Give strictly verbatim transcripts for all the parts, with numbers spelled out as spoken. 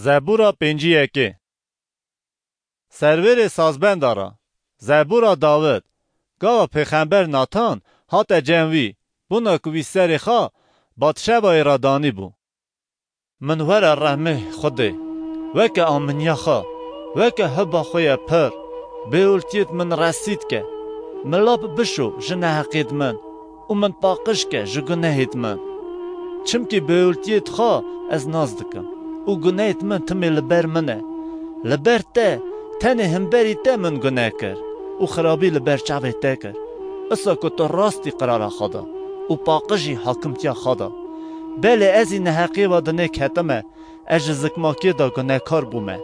Zebûra pêncî yekê. Serwêrê sazbenda ra, zebûra Dawid, gava pêxember Natan hate cem wî, bûna ku wî serê xwe Batşebayê ra danîbû. Min were rehmê Xwedê, weke aminiya xwe, weke hiba xwe ye pir, bêwiltiyêt min resîd ke, min lap bişo ji neheqêt min û min paqij ke ji gunehêt min. Çimkî bêwiltiyêt xwe ez nas dikim û gunehêt min timê li ber min e. Li ber te, tenê himberî te min guneh kir û xirabî li ber çavê te kir. Isa ku tu rastî qirara xwe da û paqijî hakimtiya xwe da. Belê ez î neheqiyê ve dinê ketime, ez ji zikmakiyê de gunehkar bûme.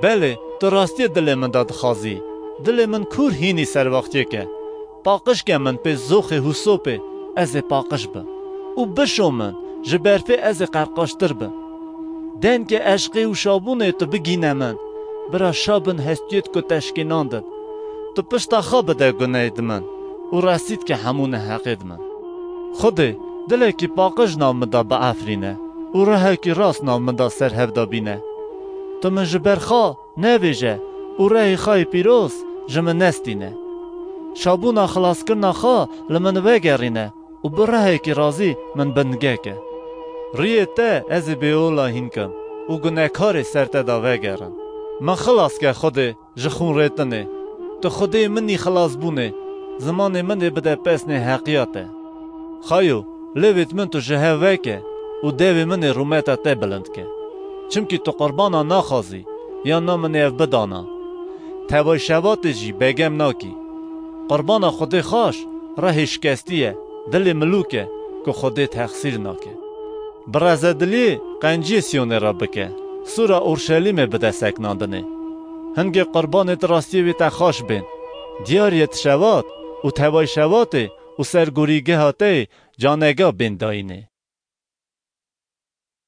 Belê, tu rastiyê dilê min de dixwazî. Dilê min kûr hînî serwaxtiyê ke. Paqij ke min pê zoxê hûsopê, ez ê paqij bim. Û bişo min, ji berfê ez ê qerqaştir bim. Dengê eşqê û şabûnê tu bigîne min. Bira şabin hestiyêt ku teşkînandin. Tu pişta xwe bide guneyê di min û resîd ke hemû neheqê di min. Xwedê, dilekî paqij nav min de biefrîne û rehekî rast nav min de serhevda bîne. Tu min ji ber xwe nevêje û rehê xwe yê pîroz ji min nestîne. Şabûna xilaskirina xwe li min vegerîne û bi rehekî razî min binge ke. Riyê te ez ê bêola hîn kim û gunekarê ser te de vegerin. Min xilas ke Xwedê ji xûnrêtinê. Tu Xwedê min î xilasbûnê, zimanê min ê bide pesnê heqiya te. Xayo, lêvêt min tu ji hev veke û devê min ê rûmeta te bilind ke. Çimkî tu qurbana naxwazî, ya na min ê ev bidana. Tevay şevatê jî begem nakî. Qurbana Xwedê xaş, rehê şikestî ye, dilê milûk e, ku Xwedê texsîr nake. Bi rezediliyê qenciyê Siyonê re bike, sûra Orşelîmê bide seknandinê. Hingê qurbanê di rastiyê wê te xaş bên. Diyariyê di şewat û tevay şewatê û sergorîgeha te yê canega bên dayînê.